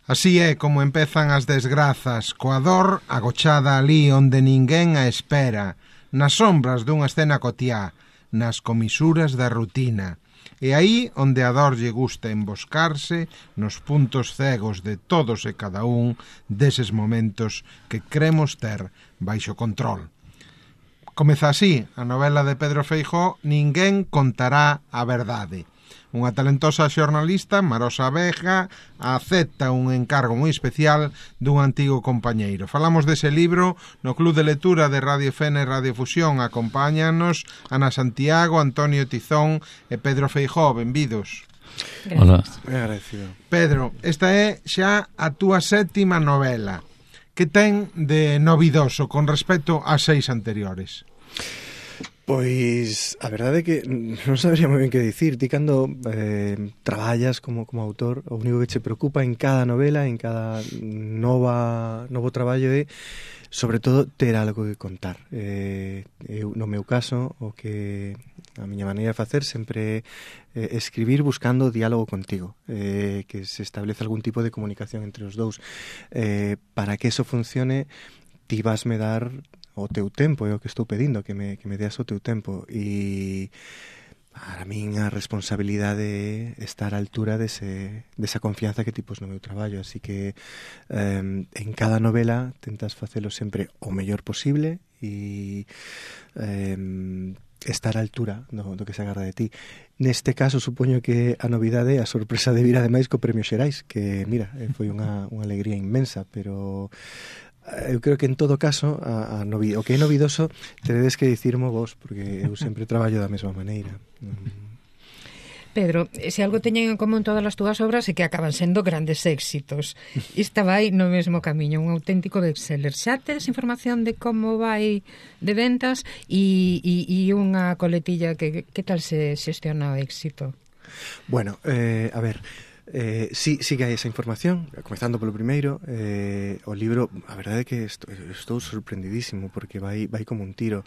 Así é como empezan as desgrazas, coa dor agochada ali onde ninguén a espera, nas sombras dunha escena cotiá, nas comisuras da rutina. E aí onde a dor lle gusta emboscarse nos puntos cegos de todos e cada un deses momentos que cremos ter baixo control. Comeza así a novela de Pedro Feijóo Ninguén contará a verdade. Unha talentosa xornalista, Marosa Vega, acepta un encargo moi especial dun antigo compañeiro. Falamos dese libro no Club de Lectura de Radio Fene e Radio Fusión. Acompáñanos Ana Santiago, Antonio Tizón e Pedro Feijóo. Benvidos. Hola. Agradecido. Pedro, esta é xa a túa sétima novela. Que ten de novidoso con respecto ás 6 anteriores? Pois a verdade é que non sabría moi ben que dicir. Ti cando traballas como autor, o único que che preocupa en cada novela, en cada novo traballo é sobre todo ter algo que contar. Eu, no meu caso, o que a miña maneira de facer sempre é escribir buscando diálogo contigo, que se establece algún tipo de comunicación entre os dous. Para que eso funcione, ti vasme dar o teu tempo, é o que estou pedindo, que me deas o teu tempo, e para min a responsabilidade é estar á altura desa confianza que ti pos no meu traballo, así que en cada novela tentas facelo sempre o mellor posible e estar á altura do que se agarda de ti. Neste caso, supoño que a novidade é a sorpresa de vir ademais co Premio Xerais, que, mira, foi unha alegría inmensa, pero eu creo que en todo caso o que é novidoso teredes que dicirmo vos, porque eu sempre traballo da mesma maneira. Pedro, se algo teñen en común todas as túas obras é que acaban sendo grandes éxitos. Esta vai no mesmo camiño, un auténtico bestseller. Xa tedes información de como vai de ventas e unha coletilla que tal se xestiona o éxito? Bueno, a ver, sí que hai esa información. Comezando polo primeiro, o libro, a verdade é que estou sorprendidísimo porque vai como un tiro.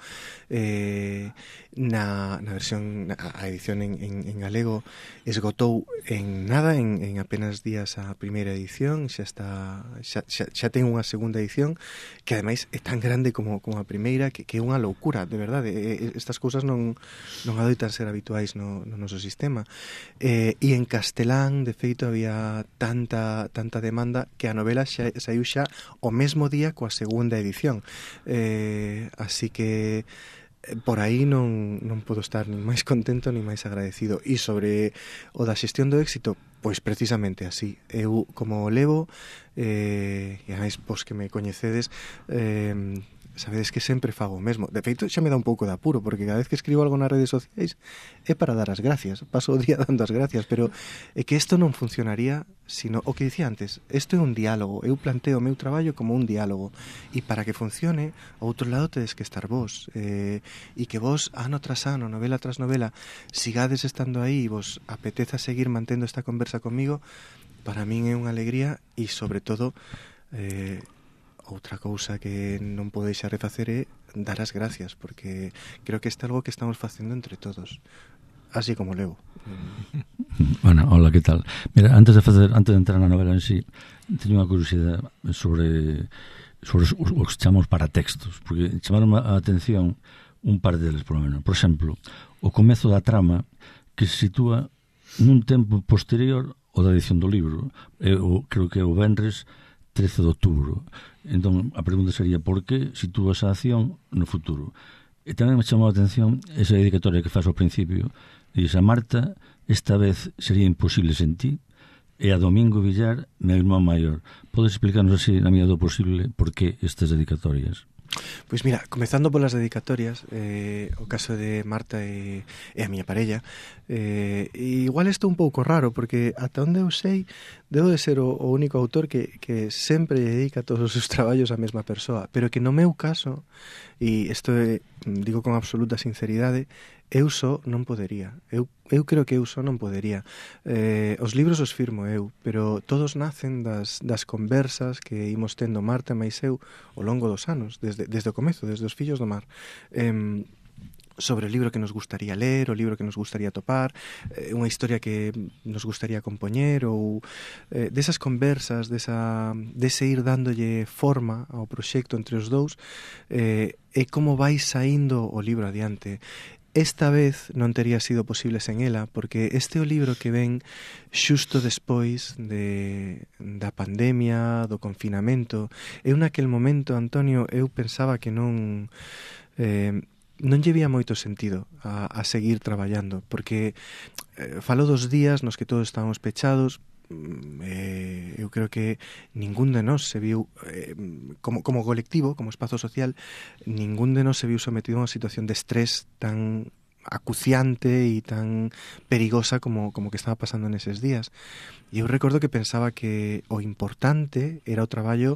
Na versión, a edición en galego esgotou en nada, en apenas días a primeira edición. Xa ten unha segunda edición que ademais é tan grande como a primeira, que é unha loucura, de verdade. Estas cousas non adoitan ser habituais no noso sistema. E en castelán, de feito, había tanta demanda que a novela saiu xa o mesmo día coa segunda edición. Así que por aí non podo estar nin máis contento nin máis agradecido. E sobre o da xestión do éxito, pois precisamente así. Eu, como o levo, e ademais, pois que me coñecedes, sabedes que sempre fago o mesmo. De feito, xa me dá un pouco de apuro, porque cada vez que escribo algo nas redes sociais é para dar as gracias. Paso o día dando as gracias, pero é que isto non funcionaría sino o que dicía antes. Isto é un diálogo. Eu planteo o meu traballo como un diálogo. E para que funcione, ao outro lado tedes que estar vos. E que vos, ano tras ano, novela tras novela, sigades estando aí e vos apeteza seguir mantendo esta conversa comigo, para min é unha alegría e, sobre todo, outra cousa que non podo deixar de facer é dar as gracias, porque creo que isto é algo que estamos facendo entre todos, así como levo. Bueno, hola, que tal? Mira, antes de entrar na novela en sí, teño unha curiosidade sobre o que chamamos paratextos, porque chamaron a atención un par deles, por lo menos. Por exemplo, o comezo da trama que se sitúa nun tempo posterior ao da edición do libro. Creo que é o venres 13 de outubro. Entón, a pregunta sería por que sitúas a acción no futuro? E tamén me chamou a atención esa dedicatoria que faz ao principio. Diz a Marta, esta vez sería imposible sen ti, e a Domingo Villar, meu irmán maior. Podes explicarnos así, na medida do posible, por que estas dedicatorias? Pois mira, comezando polas dedicatorias, o caso de Marta e a miña parella, igual isto é un pouco raro, porque ata onde eu sei, debo de ser o único autor que sempre dedica todos os seus traballos á mesma persoa, pero que no meu caso, e isto digo con absoluta sinceridade, eu só non podería. Eu creo que eu só non podería. Os libros os firmo eu, pero todos nacen das conversas que imos tendo Marta máis eu ao longo dos anos, desde o comezo, desde os Fillos do Mar. sobre o libro que nos gustaría ler, o libro que nos gustaría topar, unha historia que nos gustaría compoñer, ou desas conversas, dese ir dándolle forma ao proxecto entre os dous, e como vai saindo o libro adiante. Esta vez non tería sido posible sen ela, porque este é o libro que ven xusto despois da pandemia, do confinamento. Eu naquel momento, Antonio, eu pensaba que non lle vía moito sentido a seguir traballando, porque falo dos días nos que todos estábamos pechados. Eu creo que ningún de nós se viu como colectivo, como espazo social, ningún de nós se viu sometido a unha situación de estrés tan acuciante e tan perigosa como que estaba pasando neses días. E eu recordo que pensaba que o importante era o traballo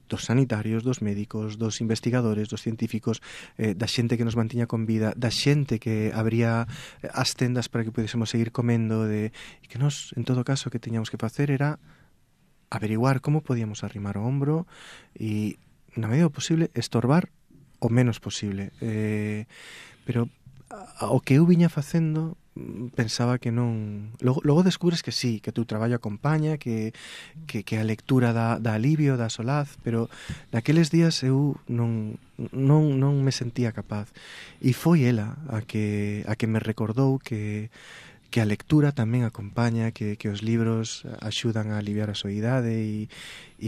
dos sanitarios, dos médicos, dos investigadores, dos científicos, da xente que nos mantiña con vida, da xente que abría as tendas para que pudésemos seguir comendo, e que nos, en todo caso, que teñamos que facer era averiguar como podíamos arrimar o hombro e, na medida posible, estorbar o menos posible. Pero o que eu viña facendo pensaba que non... Logo descubres que sí, que o teu traballo acompaña, que a lectura dá alivio, dá solaz, pero naqueles días eu non me sentía capaz. E foi ela a que me recordou que a lectura tamén acompaña, que os libros axudan a aliviar a soidade e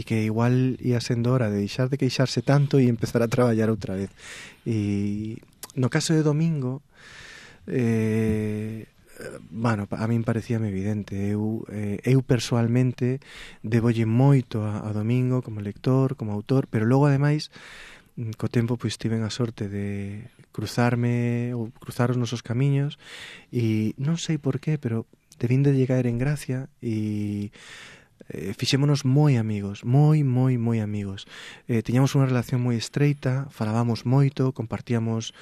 que igual ia sendo hora de deixar de queixarse tanto e empezar a traballar outra vez. E no caso de Domingo, a min parecíame evidente. Eu persoalmente debolle moito a Domingo como lector, como autor, pero logo ademais co tempo pois tiven a sorte de cruzar os nosos camiños e non sei por qué, pero debín de llegar en gracia e fixémonos moi amigos, moi amigos. Tiñamos unha relación moi estreita, falábamos moito, compartíamos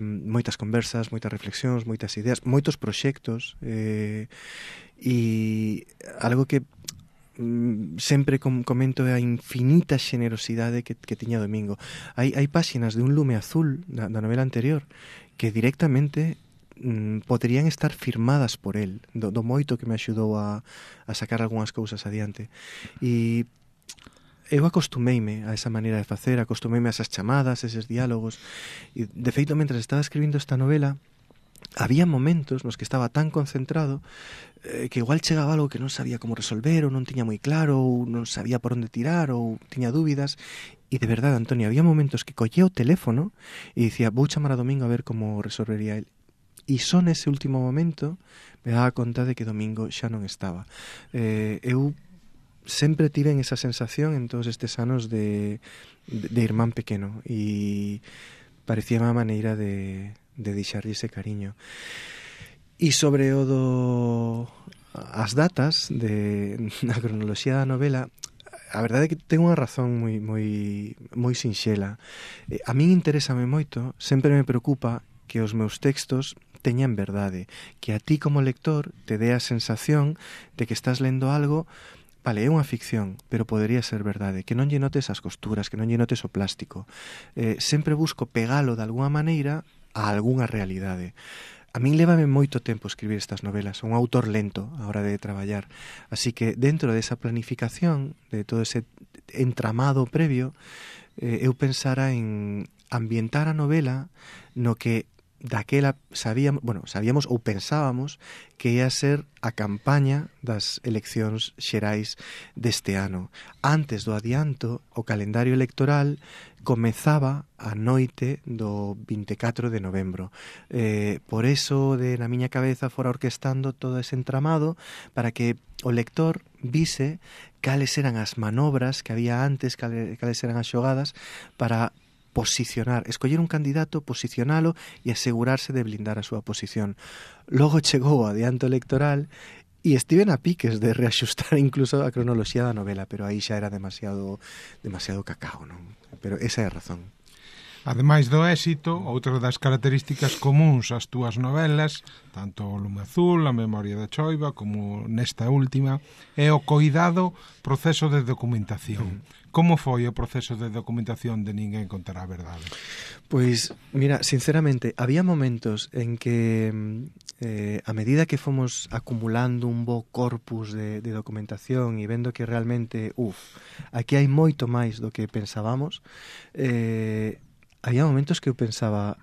moitas conversas, moitas reflexións, moitas ideas, moitos proxectos, e algo que sempre comento é a infinita xenerosidade que tiña Domingo. Hai páxinas de Un lume azul da novela anterior que directamente poderían estar firmadas por el, do moito que me axudou a sacar algunhas cousas adiante. E eu acostumeime a esa maneira de facer, acostumeime a esas chamadas, eses diálogos, e de feito, mentre estaba escribindo esta novela, había momentos nos que estaba tan concentrado que igual chegaba algo que non sabía como resolver, ou non tiña moi claro, ou non sabía por onde tirar, ou tiña dúbidas. E de verdade, Antonio, había momentos que collía o teléfono e dicía, vou chamar a Domingo a ver como resolvería el. E só nese último momento me daba conta de que Domingo xa non estaba. Eu sempre tiven esa sensación en todos estes anos de irmán pequeno e parecía má maneira de deixarlle ese cariño. E sobre as datas na cronoloxía da novela, a verdade é que ten unha razón moi sinxela. A min interésame moito, sempre me preocupa que os meus textos teñan verdade, que a ti como lector te dé a sensación de que estás lendo algo, vale, é unha ficción, pero podería ser verdade, que non lle notes as costuras, que non lle notes o plástico. Sempre busco pegalo de alguna maneira a algunha realidade. A min lévame moito tempo escribir estas novelas, un autor lento a hora de traballar, así que dentro desa planificación, de todo ese entramado previo, eu pensara en ambientar a novela no que daquela sabíamos ou pensábamos que ia ser a campaña das eleccións xerais deste ano. Antes do adianto, o calendario electoral comezaba a noite do 24 de novembro. Por eso, na miña cabeza, fora orquestando todo ese entramado para que o lector vise cales eran as manobras que había antes, cales eran as xogadas para escoller un candidato, posicionalo e asegurarse de blindar a súa posición. Logo chegou o adianto electoral e estiven a piques de reaxustar incluso a cronoloxía da novela, pero aí xa era demasiado cacao, non? Pero esa é a razón. Ademais do éxito, outra das características comuns ás túas novelas, tanto o Lume Azul, A Memoria da Choiva, como nesta última, é o coidado proceso de documentación. Como foi o proceso de documentación de Ninguén contará a verdade? Pois, mira, sinceramente, había momentos en que a medida que fomos acumulando un bo corpus de documentación e vendo que realmente, aquí hai moito máis do que pensábamos, había momentos que eu pensaba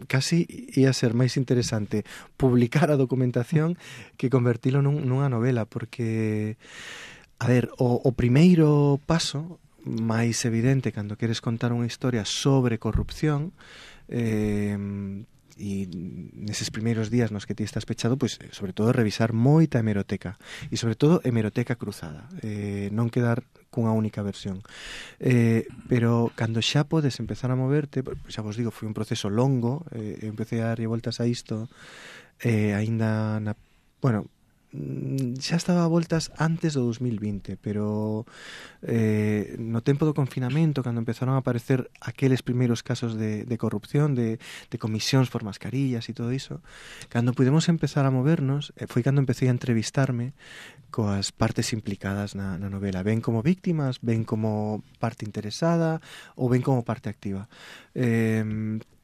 casi ia ser máis interesante publicar a documentación que convertilo nunha novela, porque, a ver, o primeiro paso máis evidente cando queres contar unha historia sobre corrupción, e neses primeiros días nos que ti estás pechado, pois sobre todo revisar moita hemeroteca e sobre todo hemeroteca cruzada, non quedar cunha única versión, pero cando xa podes empezar a moverte, xa vos digo, foi un proceso longo, empecé a darlle voltas a isto aínda xa estaba a voltas antes do 2020, pero no tempo do confinamento, cando empezaron a aparecer aqueles primeiros casos de corrupción, de comisións por mascarillas e todo iso, cando pudemos empezar a movernos, foi cando empecé a entrevistarme coas partes implicadas na novela, ben como víctimas, ben como parte interesada ou ben como parte activa.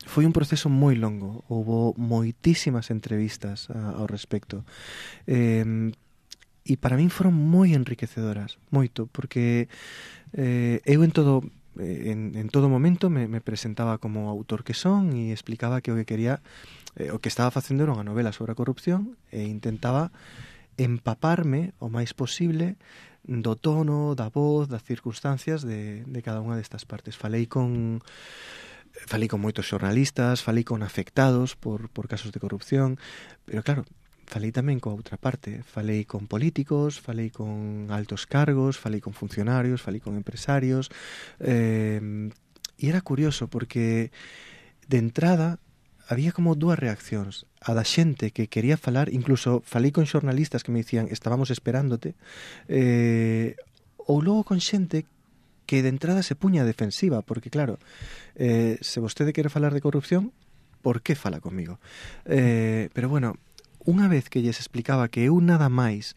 Foi un proceso moi longo, houbo moitísimas entrevistas ao respecto, e para min foron moi enriquecedoras, moito, porque eu en todo momento me presentaba como autor que son e explicaba que o que quería, o que estaba facendo era unha novela sobre a corrupción, e intentaba empaparme o máis posible do tono, da voz, das circunstancias de cada unha destas partes. Falei con moitos xornalistas, falei con afectados por casos de corrupción, pero claro, falei tamén coa outra parte, falei con políticos, falei con altos cargos, falei con funcionarios, falei con empresarios, e era curioso porque de entrada había como dúas reaccións, a da xente que quería falar, incluso falei con xornalistas que me dicían estábamos esperándote, ou logo con xente que de entrada se puña defensiva, porque claro, se vostede quere falar de corrupción, por que fala comigo? Pero bueno, unha vez que lles explicaba que eu nada máis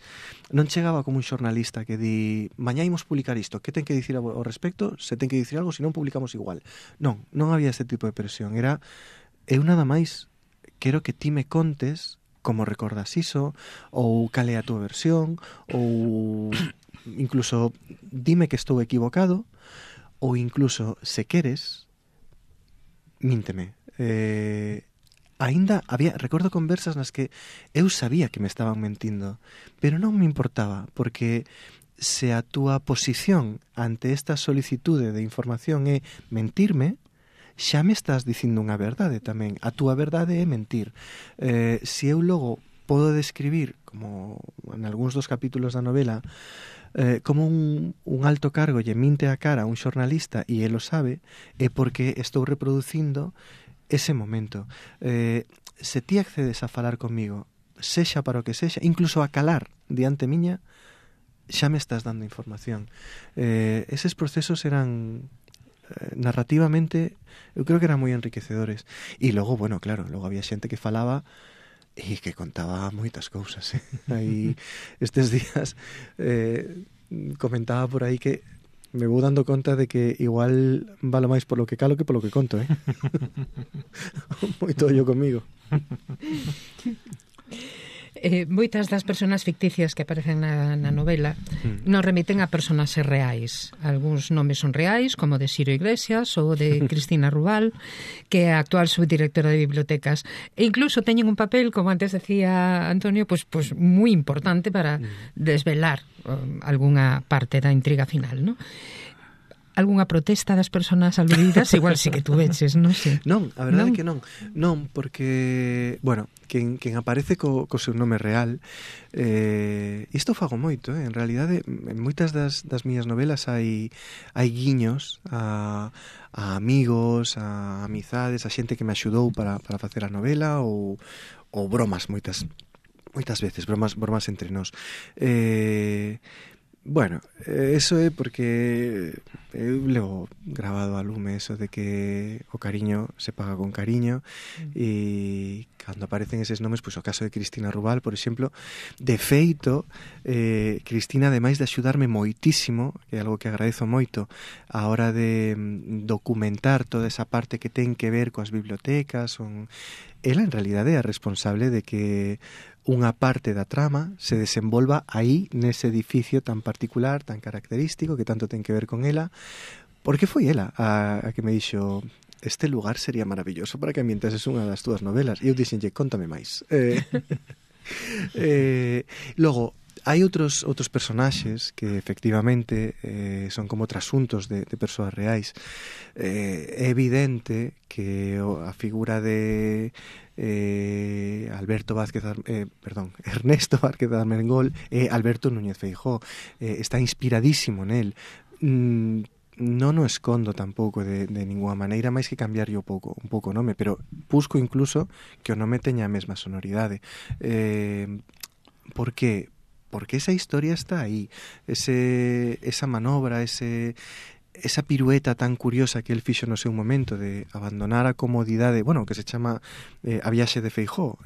non chegaba como un xornalista que di mañá imos publicar isto, que ten que dicir ao respecto, se ten que dicir algo, se non publicamos igual. Non había ese tipo de presión, era eu nada máis quero que ti me contes como recordas iso, ou cal é a túa versión, ou incluso dime que estou equivocado, ou incluso, se queres, mínteme. Recordo conversas nas que eu sabía que me estaban mentindo, pero non me importaba, porque se a túa posición ante esta solicitude de información é mentirme, xa me estás dicindo unha verdade tamén. A túa verdade é mentir. Se eu logo podo describir, como en algúns dos capítulos da novela, como un alto cargo lle minte a cara a un xornalista e ele o sabe, é porque estou reproducindo ese momento. Se ti accedes a falar comigo, sexa para o que sexa, incluso a calar diante miña, xa me estás dando información. Eses procesos eran narrativamente, eu creo que eran moi enriquecedores. E logo, bueno, claro, logo había xente que falaba e que contaba moitas cousas. Aí estes días comentaba por aí que me vou dando conta de que igual valo máis polo que calo que polo que conto, moito ollo comigo. Moitas das personas ficticias que aparecen na novela nos remiten a personaxes reais. Algúns nomes son reais, como de Ciro Iglesias ou de Cristina Rubal, que é a actual subdirectora de bibliotecas. E incluso teñen un papel, como antes decía Antonio, pues moi importante para desvelar algunha parte da intriga final, ¿no? Algunha protesta das persoas aludidas? Igual sí que tú veches, non sei. Non, a verdade é que non. Non, porque, bueno, quen aparece co seu nome real, isto fago moito, en realidade, en moitas das miñas novelas hai guiños a amigos, a amizades, a xente que me axudou para facer a novela, ou bromas moitas veces, bromas entre nós. Bueno, eso é porque eu levo grabado a lume eso de que o cariño se paga con cariño e cando aparecen eses nomes, pois o caso de Cristina Rubal, por exemplo, de feito, Cristina, ademais de axudarme moitísimo, que é algo que agradezo moito, a hora de documentar toda esa parte que ten que ver coas bibliotecas, ela en realidade é a responsable de que unha parte da trama se desenvolva aí, nese edificio tan particular, tan característico, que tanto ten que ver con ela, porque foi ela a que me dixo: este lugar sería maravilloso para que ambientases unha das túas novelas. E eu dixenlle: contame máis. Logo, hai outros personaxes que efectivamente son como trasuntos de persoas reais. É evidente que a figura de Ernesto Vázquez Armengol e Alberto Núñez Feijóo está inspiradísimo nel. Non o escondo tampouco de ninguna maneira, máis que cambiarlle un pouco o nome, pero busco incluso que o nome teña a mesma sonoridade. Por que? Porque esa historia está aí, esa manobra, esa pirueta tan curiosa que el fixo no seu momento de abandonar a comodidade, bueno, que se chama a viaxe de Feijóo,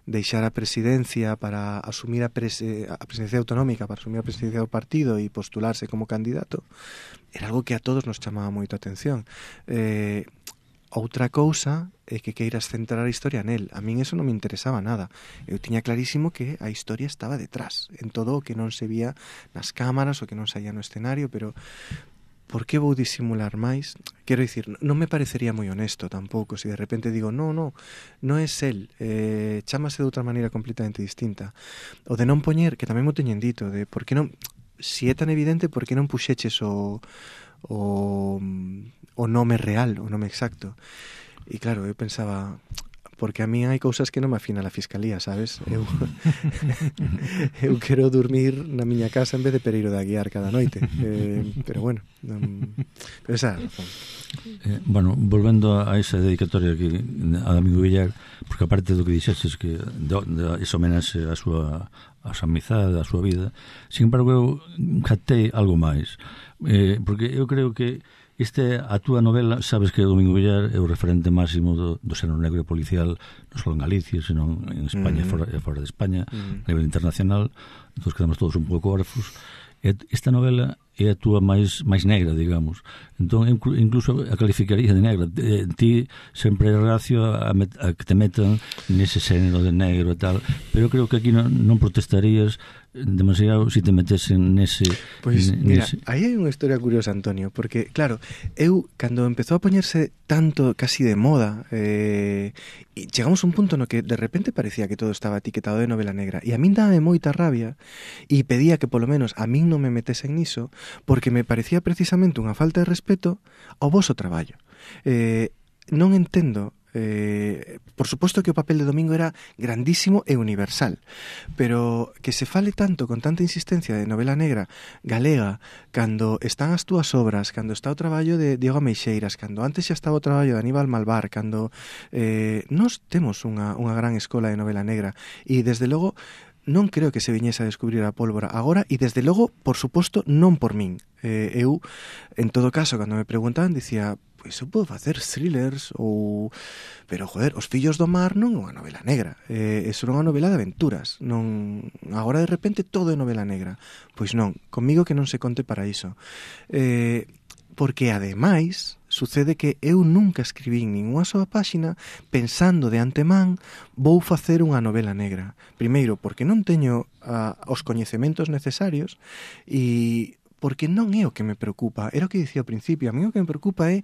deixar a presidencia para asumir a presidencia autonómica, para asumir a presidencia do partido e postularse como candidato, era algo que a todos nos chamaba moito a atención. Outra cousa é que queiras centrar a historia nel. A min eso non me interesaba nada. Eu tiña clarísimo que a historia estaba detrás, en todo o que non se vía nas cámaras, o que non saía no escenario, pero por que vou disimular máis? Quero dicir, non me parecería moi honesto tampouco se de repente digo, non é el, chámase de outra maneira completamente distinta. O de non poñer, que tamén mo teñen dito, de por que non, si é tan evidente, por que non puxeches o nome real, o nome exacto. E claro, eu pensaba, porque a mí hai cousas que non me afina a Fiscalía, sabes? Eu quero dormir na miña casa en vez de Pereiro de Aguiar cada noite. Pero bueno, pero esa razón. Bueno, volvendo a esa dedicatoria que a Domingo Villar, porque aparte do que dixestes que esa homenaxe a súa amizade, a súa vida, sin embargo eu captei algo máis, porque eu creo que a túa novela, sabes que Domingo Villar é o referente máximo do xénero negro policial, non só en Galicia, senón en España e fora de España, a nivel internacional. Entón quedamos todos un pouco órfos. Esta novela é a túa máis negra, digamos. Entón, incluso a calificaría de negra. Ti sempre é reacio a que te metan nese xénero de negro e tal, pero eu creo que aquí non protestarías demasiado se te metesen nese... Pois, mira, aí hai unha historia curiosa, Antonio, porque, claro, eu, cando empezou a poñerse tanto, casi de moda, e chegamos a un punto no que de repente parecía que todo estaba etiquetado de novela negra, e a min dame moita rabia, e pedía que polo menos a min non me metesen niso, porque me parecía precisamente unha falta de respeto ao voso traballo. Non entendo... por suposto que o papel de Domingo era grandísimo e universal, pero que se fale tanto, con tanta insistencia, de novela negra galega, cando están as túas obras, cando está o traballo de Diego Meixeiras, cando antes xa estaba o traballo de Aníbal Malvar, cando nós temos unha gran escola de novela negra, e desde logo non creo que se viñese a descubrir a pólvora agora, e desde logo, por suposto, non por min. Eu, en todo caso, cando me preguntaban, dicía, pois eu podo facer thrillers pero, joder, Os fillos do mar non é unha novela negra, é unha novela de aventuras, non agora de repente todo é novela negra. Pois non, comigo que non se conte para iso, porque ademais sucede que eu nunca escribín ninguna soa páxina pensando de antemán vou facer unha novela negra. Primeiro, porque non teño os coñecementos necesarios, e porque non é o que me preocupa. Era o que dicía ao principio, a mí o que me preocupa é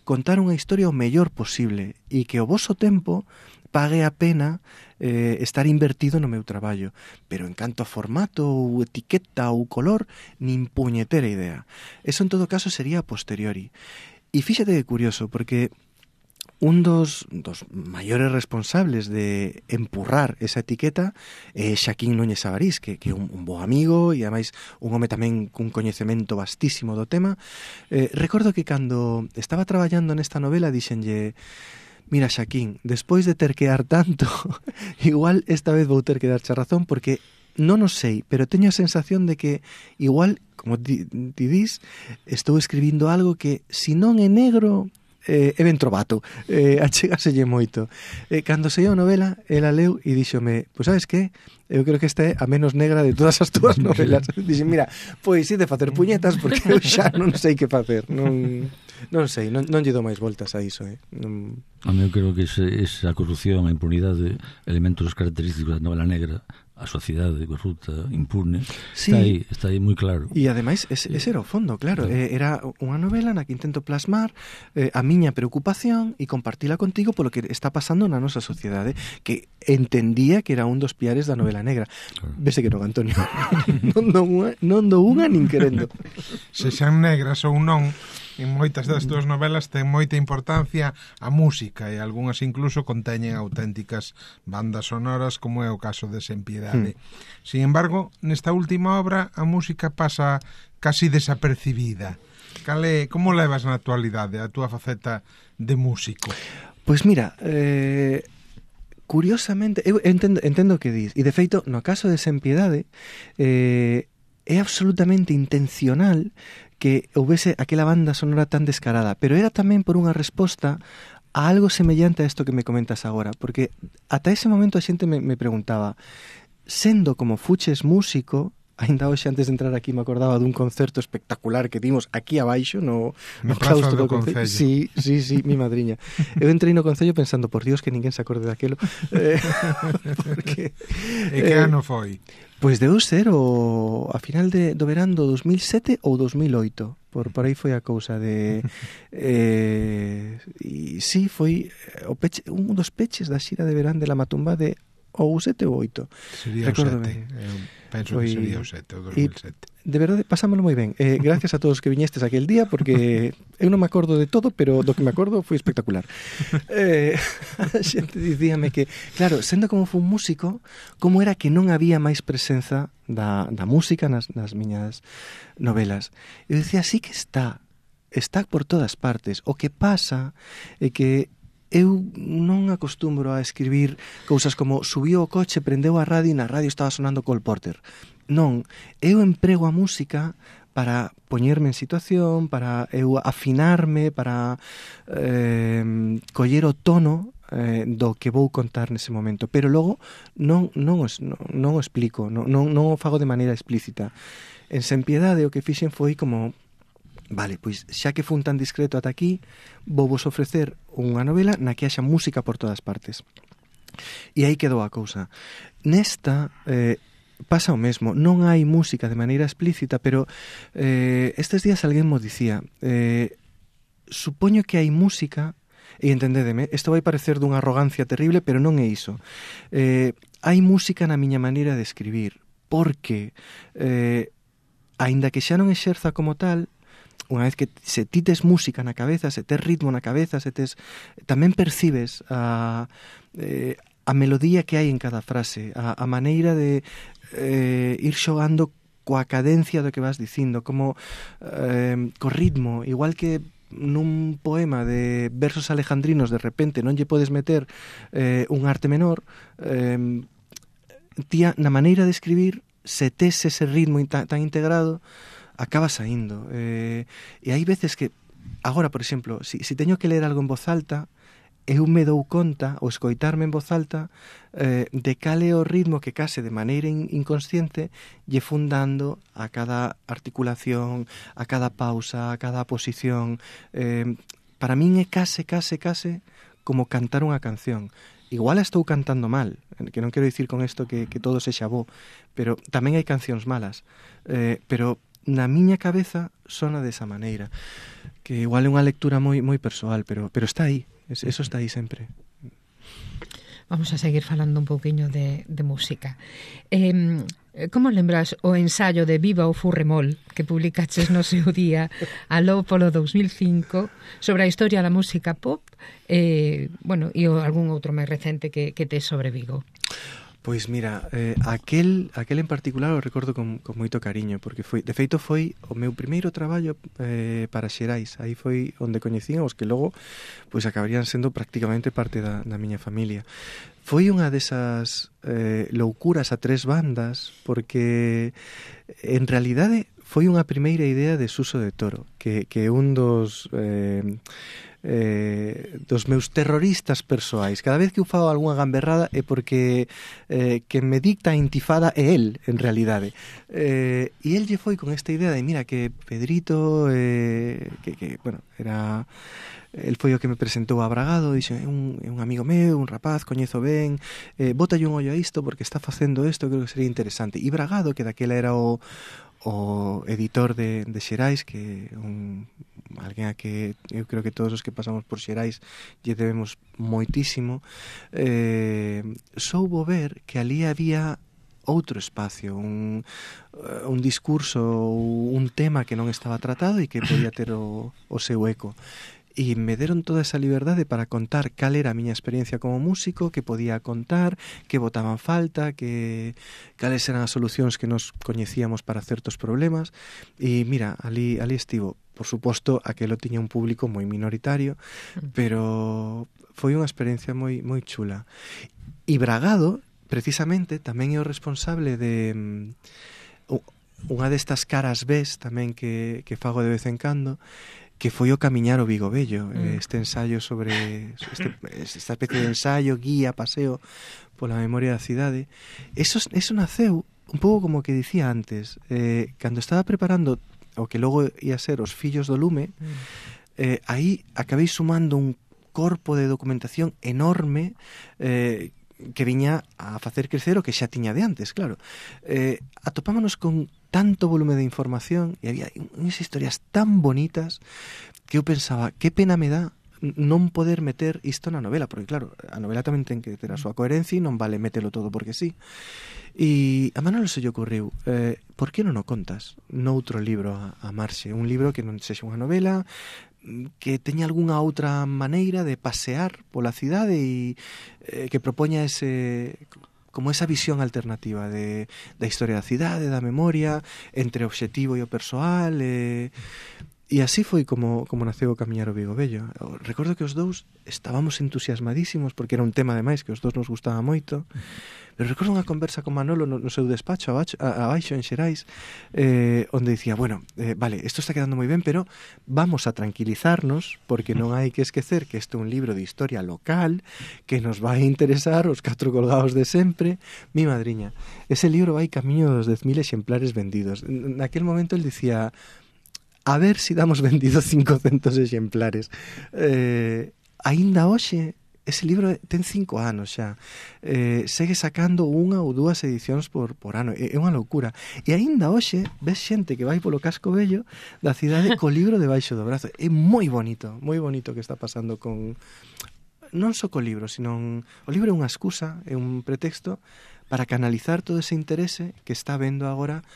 contar unha historia o mellor posible e que o voso tempo pague a pena estar invertido no meu traballo. Pero en canto a formato ou etiqueta ou color, nin puñetera idea. Eso en todo caso sería a posteriori. E fíxate que curioso, porque un dos maiores responsables de empurrar esa etiqueta é Xaquín Núñez Avarís, que é un bo amigo e ademais un home tamén cun coñecemento vastísimo do tema. Recordo que cando estaba traballando nesta novela dixenlle: mira, Xaquín, despois de ter que dar tanto, igual esta vez vou ter que darche razón, porque non o sei, pero teño a sensación de que igual, como ti dis, estou escribindo algo que, se non é negro, é ben trovato, achegaselle moito. Cando saiu a novela, ela leu e díxome, pois sabes que? Eu creo que esta é a menos negra de todas as túas novelas. Dixen, mira, pois de facer puñetas, porque eu xa non sei que facer. Non sei, non lle dou máis voltas a iso. Non... A mí eu creo que esa corrupción, a impunidade, elementos característicos da novela negra, a sociedade corrupta, impune, sí, está aí moi claro. E ademais, ese era o fondo, claro. Era unha novela na que intento plasmar a miña preocupación e compartila contigo polo que está pasando na nosa sociedade, que entendía que era un dos piares da novela negra. Claro. Vese que non, Antonio. non dou unha nin querendo. Se xan negras ou non, en moitas das túas novelas ten moita importancia a música e algunhas incluso conteñen auténticas bandas sonoras, como é o caso de Sen Piedade. Sin embargo, nesta última obra a música pasa casi desapercibida. Como levas na actualidade a túa faceta de músico? Pois mira, curiosamente, eu entendo o que dis, e de feito, no caso de Sen Piedade, é absolutamente intencional que houvese aquela banda sonora tan descarada, pero era tamén por unha resposta a algo semellante a isto que me comentas agora, porque ata ese momento a xente me preguntaba, sendo como fuches músico, ainda hoxe antes de entrar aquí me acordaba dun concerto espectacular que dimos aquí abaixo no claustro do Concello. Sí, mi madriña. Eu entrei no Concello pensando, por Dios, que ninguén se acorde daquelo. Porque e que ano foi? Pois deu ser a final do verán do 2007 ou 2008. Por aí foi a cousa de... e sí, foi un dos peches da xira de verán de la Matumba de ou 7 ou 8. Sería o 7. Penso que sería o 7, o 2007. De verdade, pasámoslo moi ben. Gracias a todos que viñestes aquel día, porque eu non me acordo de todo, pero do que me acordo foi espectacular. A xente dicíame que, claro, sendo como foi un músico, como era que non había máis presenza da música nas miñas novelas. Eu dicía, sí que está por todas partes. O que pasa é que eu non acostumbro a escribir cousas como subiu o coche, prendeu a radio e na radio estaba sonando Cole Porter. Non, eu emprego a música para poñerme en situación, para eu afinarme, para coller o tono do que vou contar nese momento, pero logo non o explico, non o fago de maneira explícita. En Sen Piedade o que fixen foi como, vale, pois xa que fun tan discreto ata aquí, vou vos ofrecer unha novela na que haxa música por todas partes. E aí quedou a cousa. Nesta pasa o mesmo, non hai música de maneira explícita, pero estes días alguén mo dicía, supoño que hai música, e entendédeme, isto vai parecer dunha arrogancia terrible, pero non é iso. Hai música na miña maneira de escribir, porque aínda que xa non exerza como tal, unha vez que se ti tes música na cabeza, se tes ritmo na cabeza, tamén percibes a melodía que hai en cada frase, a maneira de ir xogando coa cadencia do que vas dicindo, como co ritmo, igual que nun poema de versos alejandrinos de repente non lle podes meter un arte menor, tía, na maneira de escribir, se tes ese ritmo tan integrado, acaba saindo. E hai veces que, agora, por exemplo, si teño que ler algo en voz alta, eu me dou conta, ou escoitarme en voz alta, de cal é o ritmo que case de maneira inconsciente lle fundando a cada articulación, a cada pausa, a cada posición. Para min é case como cantar unha canción. Igual estou cantando mal, que non quero dicir con isto que todo sexa bo, pero tamén hai cancións malas. Pero na miña cabeza sona desa maneira, que igual é unha lectura moi persoal, pero está aí. Eso está aí sempre. Vamos a seguir falando un pouquiño de música. Como lembras o ensaio de Viva o Furremol que publicaches no seu día aló polo 2005 sobre a historia da música pop e algún outro máis recente que tes sobre Vigo? Pois mira, aquel en particular o recordo con moito cariño, porque de feito foi o meu primeiro traballo para Xerais. Aí foi onde coñecían os que logo pois acabarían sendo prácticamente parte da miña familia. Foi unha desas loucuras a tres bandas, porque en realidade foi unha primeira idea de Suso de Toro, que un dos meus terroristas persoais. Cada vez que eu fago algunha gamberrada é porque que me dicta a intifada é el, en realidade. E el lle foi con esta idea de, mira, que Pedrito, que bueno, era... El foi o que me presentou a Bragado, dixo, é un amigo meu, un rapaz, coñezo ben, bótalle un ollo a isto porque está facendo isto, creo que sería interesante. E Bragado, que daquela era o editor de Xerais, que alguén a que eu creo que todos os que pasamos por Xerais lle debemos moitísimo, soubo ver que ali había outro espacio, un discurso, un tema que non estaba tratado e que podía ter o seu eco. E me deron toda esa liberdade para contar cal era a miña experiencia como músico, que podía contar, que botaban falta, que cales eran as solucións que nos coñecíamos para certos problemas. E mira, ali estivo. Por suposto, aquelo tiña un público moi minoritario, pero foi unha experiencia moi chula. E Bragado, precisamente, tamén é o responsable de unha destas caras Bs tamén que fago de vez en cando, que foi o Camiñar o Vigo Vello, este ensaio sobre esta especie de ensaio, guía, paseo pola memoria da cidade. Eso naceu un pouco como que dicía antes, cando estaba preparando o que logo ia ser Os Fillos do Lume, aí acabei sumando un corpo de documentación enorme que viña a facer crecer o que xa tiña de antes, claro. Atopámonos con tanto volume de información e había unhas historias tan bonitas que eu pensaba, que pena me dá non poder meter isto na novela, porque claro, a novela tamén ten que ter a súa coherencia e non vale metelo todo porque sí. E a Manolo se lle ocurriu, por que non o contas noutro libro a marxe, un libro que non sexa unha novela, que teña algunha outra maneira de pasear pola cidade e que propoña como esa visión alternativa da historia da cidade, da memoria, entre o obxectivo e o persoal, e así foi como naceu o Camiñar o Vigo Vello. Recordo que os dous estábamos entusiasmadísimos porque era un tema ademais que os dous nos gustaba moito, pero recordo unha conversa con Manolo no seu despacho abaixo en Xerais, onde dicía, bueno, vale, isto está quedando moi ben, pero vamos a tranquilizarnos porque non hai que esquecer que este é un libro de historia local que nos vai interesar os 4 colgados de sempre. Mi madriña, ese libro vai camiño dos 10.000 exemplares vendidos. Naquel momento el dicía, a ver si damos vendido 500 exemplares. Aínda hoxe, ese libro ten 5 anos xa, segue sacando unha ou dúas edicións por ano, é unha loucura. E aínda hoxe ves xente que vai polo casco vello da cidade co libro debaixo do brazo. É moi bonito que está pasando con... Non só co libro, sino o libro é unha excusa, é un pretexto para canalizar todo ese interese que está vendo agora.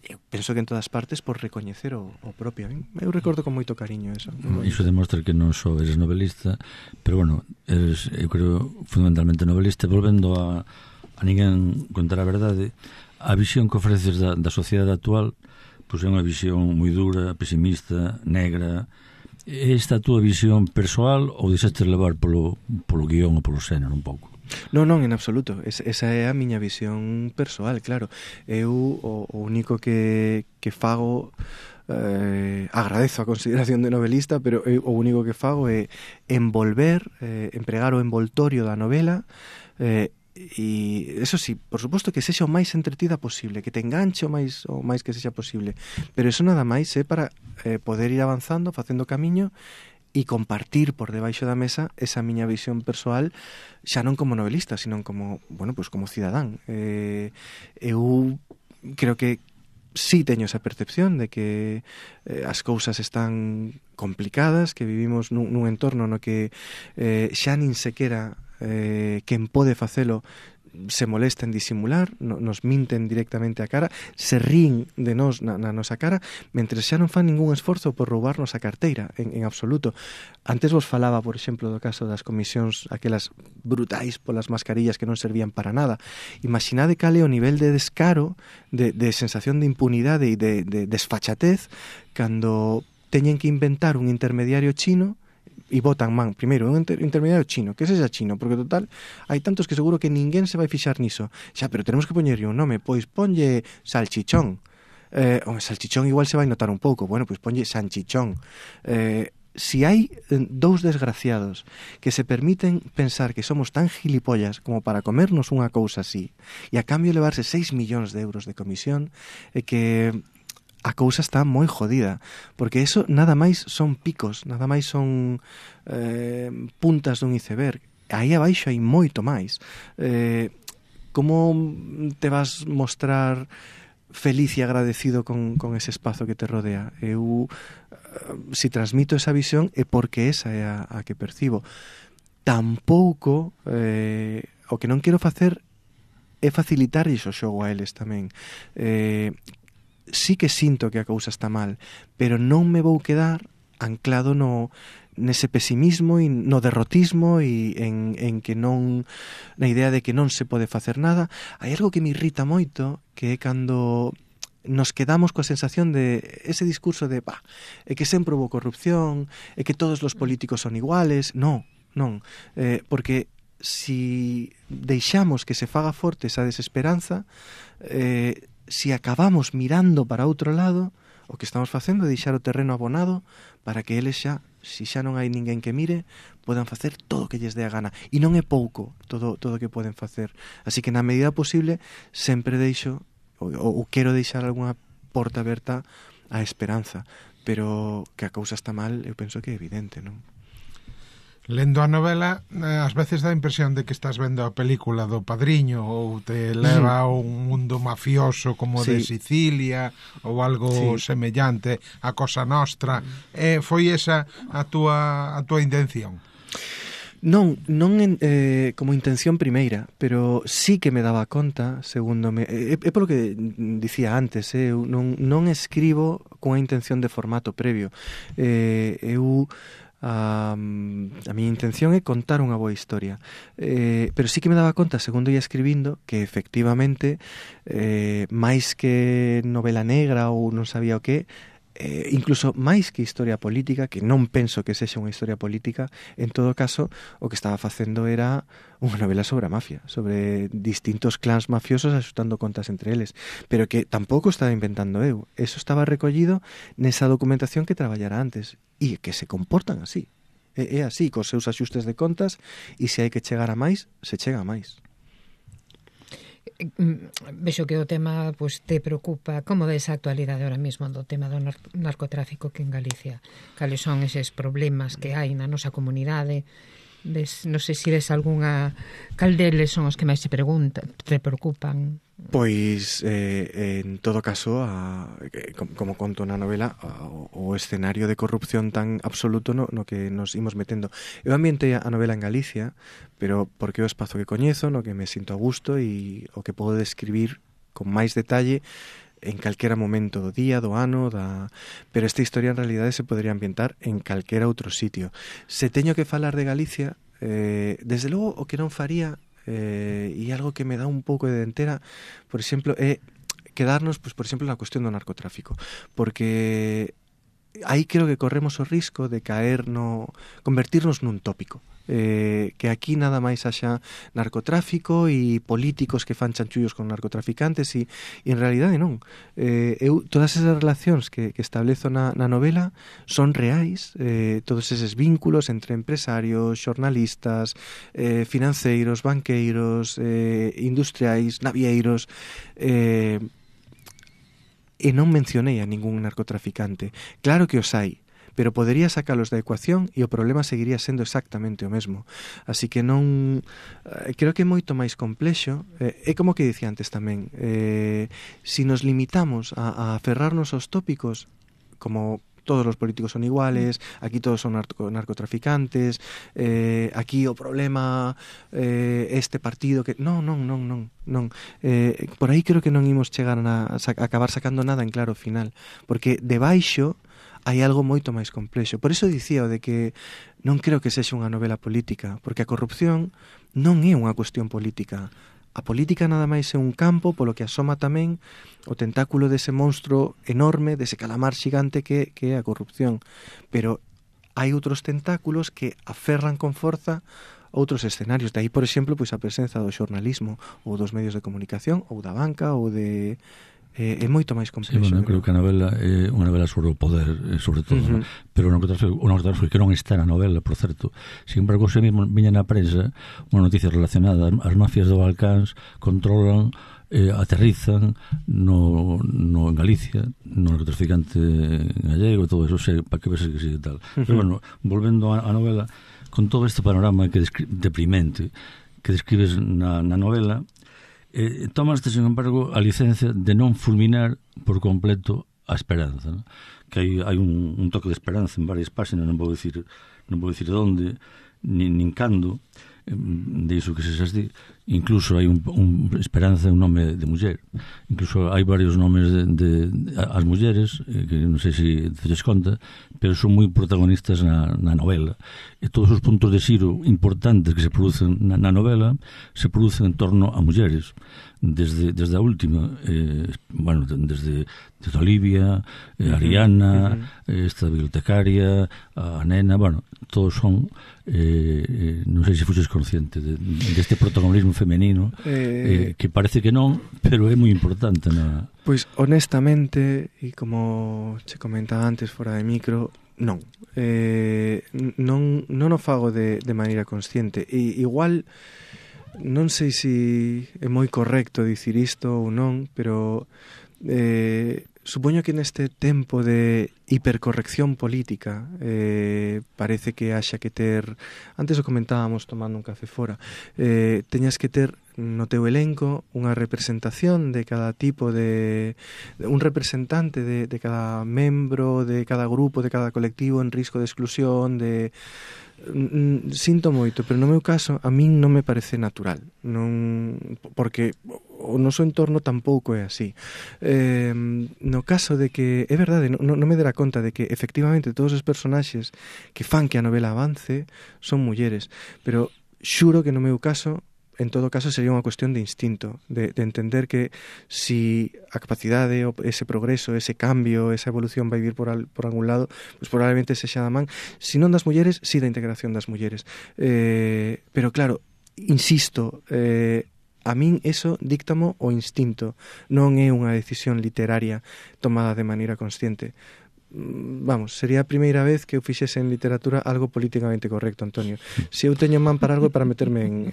Eu penso que en todas partes por recoñecer o propio. Eu recordo con moito cariño eso. Iso demostra que non só eres novelista, pero bueno, eres, eu creo, fundamentalmente novelista. Volvendo a ninguén contar a verdade, a visión que ofreces da sociedade actual, pois é unha visión moi dura, pesimista, negra. É esta a túa visión persoal ou deixaste levar polo guión ou polo xénero un pouco? Non, en absoluto. Esa é a miña visión persoal, claro. Eu o único que fago, agradezo a consideración de novelista, pero eu o único que fago é envolver, empregar o envoltorio da novela, e eso sí, por suposto que sexa o máis entretida posible, que te enganche o máis que sexa posible, pero eso nada máis é para poder ir avanzando, facendo camiño e compartir por debaixo da mesa esa miña visión persoal, xa non como novelista, sino como, bueno, pues como cidadán. Eu creo que sí teño esa percepción de que as cousas están complicadas, que vivimos nun entorno no que xa nin sequera quen pode facelo se molesta en disimular, nos minten directamente a cara, se rín de nós na nosa cara, mentre xa non fan ningún esforzo por roubarnos a carteira, en absoluto. Antes vos falaba, por exemplo, do caso das comisións aquelas brutais polas mascarillas que non servían para nada. Imaginade cal é o nivel de descaro, de sensación de impunidade e de desfachatez cando teñen que inventar un intermediario chino e botan primeiro un intermediario chino, que sexa chino, porque total hai tantos que seguro que ninguén se vai fixar niso. Xa, pero tenemos que poñerlle un nome, pois ponlle salchichón. Salchichón igual se vai notar un pouco, bueno, pois ponlle sanchichón. Si hai dous desgraciados que se permiten pensar que somos tan gilipollas como para comernos unha cousa así e a cambio levarse 6 millóns de euros de comisión, que a cousa está moi jodida, porque eso nada máis son picos, nada máis son puntas dun iceberg. Aí abaixo hai moito máis. Como te vas mostrar feliz e agradecido con ese espazo que te rodea? Eu, si transmito esa visión, é porque esa é a que percibo. Tampouco, o que non quero facer é facilitarlles o xogo a eles tamén. Sí que sinto que a cousa está mal, pero non me vou quedar anclado nese pesimismo e no derrotismo e en que non, na idea de que non se pode facer nada. Hai algo que me irrita moito, que é cando nos quedamos coa sensación de ese discurso de é que sempre houve corrupción, é que todos os políticos son iguales. Non, porque si deixamos que se faga forte esa desesperanza, si acabamos mirando para outro lado, o que estamos facendo é deixar o terreno abonado para que eles xa, si xa non hai ninguén que mire, podan facer todo o que lles dé a gana. E non é pouco todo o que poden facer. Así que na medida posible sempre deixo, ou quero deixar algunha porta aberta á esperanza, pero que a cousa está mal, eu penso que é evidente, non? Lendo a novela, ás veces dá a impresión de que estás vendo a película do Padriño ou te leva a un mundo mafioso como de Sicilia ou algo semellante a Cosa Nostra. Foi esa a túa intención? Non como intención primeira, pero sí que me daba conta, segundo é polo que dicía antes, eu non escribo cunha intención de formato previo. A miña intención é contar unha boa historia, pero sí que me daba conta, segundo ia escribindo, que efectivamente máis que novela negra ou non sabía o que, incluso máis que historia política, que non penso que sexa unha historia política, en todo caso o que estaba facendo era unha novela sobre a mafia, sobre distintos clans mafiosos axustando contas entre eles, pero que tampouco estaba inventando eu. Eso estaba recollido nesa documentación que traballara antes e que se comportan así. É así, cos seus axustes de contas, e se hai que chegar a máis, se chega a máis. Vexo que o tema te preocupa. Como ves a actualidade ahora mesmo do tema do narcotráfico que en Galicia? Cales son eses problemas que hai na nosa comunidade? Non sei se ves algunha... Cal deles son os que máis te preocupan? Pois, en todo caso, como conto na novela, o escenario de corrupción tan absoluto no que nos imos metendo. Eu ambientei a novela en Galicia, pero porque é o espazo que coñezo, no que me sinto a gusto e o que podo describir con máis detalle en calquera momento do día, do ano, pero esta historia en realidade se podría ambientar en calquera outro sitio. Se teño que falar de Galicia, desde logo o que non faría, e algo que me dá un pouco de dentera, por exemplo, é quedarnos, por exemplo, na cuestión do narcotráfico, porque aí creo que corremos o risco de convertirnos nun tópico. Que aquí nada máis haxa narcotráfico e políticos que fan chanchullos con narcotraficantes e en realidade non. Todas esas relacións que establezo na novela son reais, todos eses vínculos entre empresarios, xornalistas, financeiros, banqueiros, industriais, navieiros, e non mencionei a ningún narcotraficante. Claro que os hai, pero podería sacalos da ecuación e o problema seguiría sendo exactamente o mesmo. Así que non... creo que é moito máis complexo. É como que dicía antes tamén. Si nos limitamos a aferrarnos aos tópicos, como todos los políticos son iguales, aquí todos son narcotraficantes, aquí o problema este partido que... Non. Por aí creo que non imos chegar a acabar sacando nada en claro final, porque debaixo hai algo moito máis complexo. Por iso dicía o de que non creo que sexa unha novela política, porque a corrupción non é unha cuestión política. A política nada máis é un campo polo que asoma tamén o tentáculo dese monstro enorme, dese calamar xigante que é a corrupción. Pero hai outros tentáculos que aferran con forza outros escenarios. De aí, por exemplo, pois a presenza do xornalismo ou dos medios de comunicación ou da banca ou de... é moito máis complexo. Sí, bueno, creo que a novela é unha novela sobre o poder, sobre todo, pero o narcotráfico que non está na novela, por certo. Sin embargo, se mesmo viña na prensa unha noticia relacionada, as mafias do Balcáns controlan, aterrizan en Galicia, no narcotraficante gallego, todo eso, para que ves que sigue tal. Pero bueno, volvendo á novela, con todo este panorama deprimente que describes na novela, tomaste, sin embargo, a licencia de non fulminar por completo a esperanza, ¿no? Que hai un toque de esperanza en varias páxinas, non vou dicir onde, nin cando, de iso que se así. Incluso hai un esperanza, un nome de muller. Incluso hai varios nomes de as mulleres, que non sei se te des conta, pero son moi protagonistas na novela. E todos os puntos de xiro importantes que se producen na novela se producen en torno a mulleres. Desde a última, desde Olivia, Ariana, esta bibliotecaria, a nena, todos son, non sei se fuxes consciente deste protagonismo femenino, que parece que non, pero é moi importante. Pois, honestamente, e como che comentaba antes fora de micro, non o fago de maneira consciente. E igual non sei se é moi correcto dicir isto ou non, pero supoño que neste tempo de hipercorrección política parece que haxa que ter, antes o comentábamos tomando un café fora, teñas que ter no teu elenco unha representación de cada tipo de un representante de cada membro, de cada grupo, de cada colectivo en risco de exclusión, sinto moito, pero no meu caso a min non me parece natural, porque o noso entorno tampouco é así. No caso de que é verdade, non me dera conta de que efectivamente todos os personaxes que fan que a novela avance son mulleres, pero xuro que no meu caso, en todo caso, sería unha cuestión de instinto, de entender que si a capacidade, ese progreso, ese cambio, esa evolución vai vir por algún lado, pues probablemente sexa da man, si non das mulleres, si da integración das mulleres. Pero claro, insisto, a min eso díctamo o instinto, non é unha decisión literaria tomada de maneira consciente. Vamos, sería a primeira vez que eu fixese en literatura algo políticamente correcto, Antonio. Se eu teño man para algo é para meterme en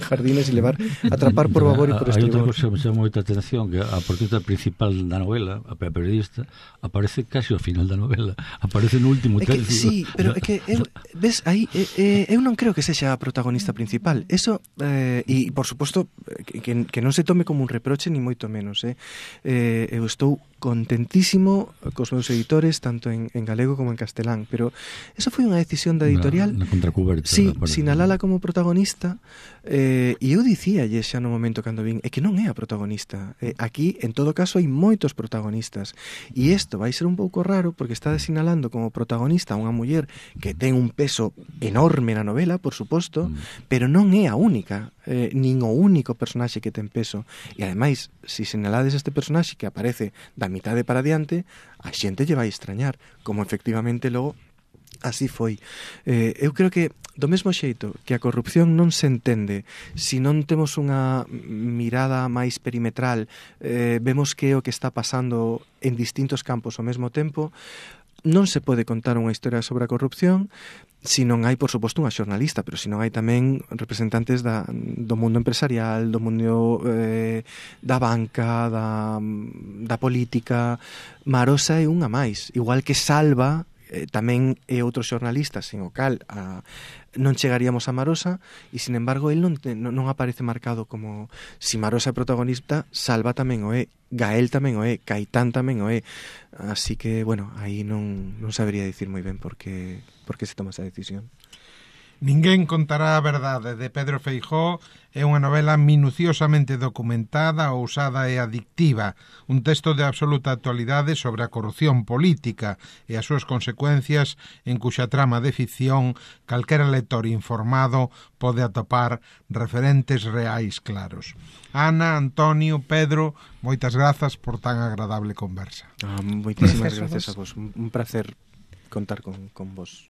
jardines e atrapar por babor e por estribor. Hai outra cosa que me chama moita atención, que a portita principal da novela, a periodista, aparece casi ao final da novela, aparece no último tercio. Sí, pero é que ves, aí eu non creo que sexa a protagonista principal. Eso, e por suposto que non se tome como un reproche ni moito menos, eu estou contentísimo cos meus editores, tanto en galego como en castelán, pero eso foi unha decisión da editorial. Na contracuberta. Sí, sinalala como protagonista, e eu dicíalle xa no momento cando vin, é que non é a protagonista. Aquí, en todo caso, hai moitos protagonistas, e isto vai ser un pouco raro, porque está sinalando como protagonista a unha muller que ten un peso enorme na novela, por suposto, pero non é a única, nin o único personaxe que ten peso. E ademais, se sinalades este personaxe que aparece da mitade para diante, a xente lle vai extrañar, como efectivamente logo así foi. Eu creo que do mesmo xeito que a corrupción non se entende se non temos unha mirada máis perimetral, vemos que é o que está pasando en distintos campos ao mesmo tempo, non se pode contar unha historia sobre a corrupción se non hai, por suposto, unha xornalista, pero se non hai tamén representantes do mundo empresarial, do mundo da banca, da política. Marosa é unha máis, igual que Salva tamén é outro xornalista sen o cal non chegaríamos a Marosa, e sin embargo el non aparece marcado como si Marosa é protagonista, Salva tamén o é, Gael tamén o é, Caitán tamén o é, así que, bueno, aí non sabería dicir moi ben por que se toma esa decisión. Ninguén contará a verdade, de Pedro Feijóo, é unha novela minuciosamente documentada, ousada e adictiva, un texto de absoluta actualidade sobre a corrupción política e as súas consecuencias, en cuxa trama de ficción calquera lector informado pode atopar referentes reais claros. Ana, Antonio, Pedro, moitas grazas por tan agradable conversa. Moitísimas gracias a vos, un placer contar con vos.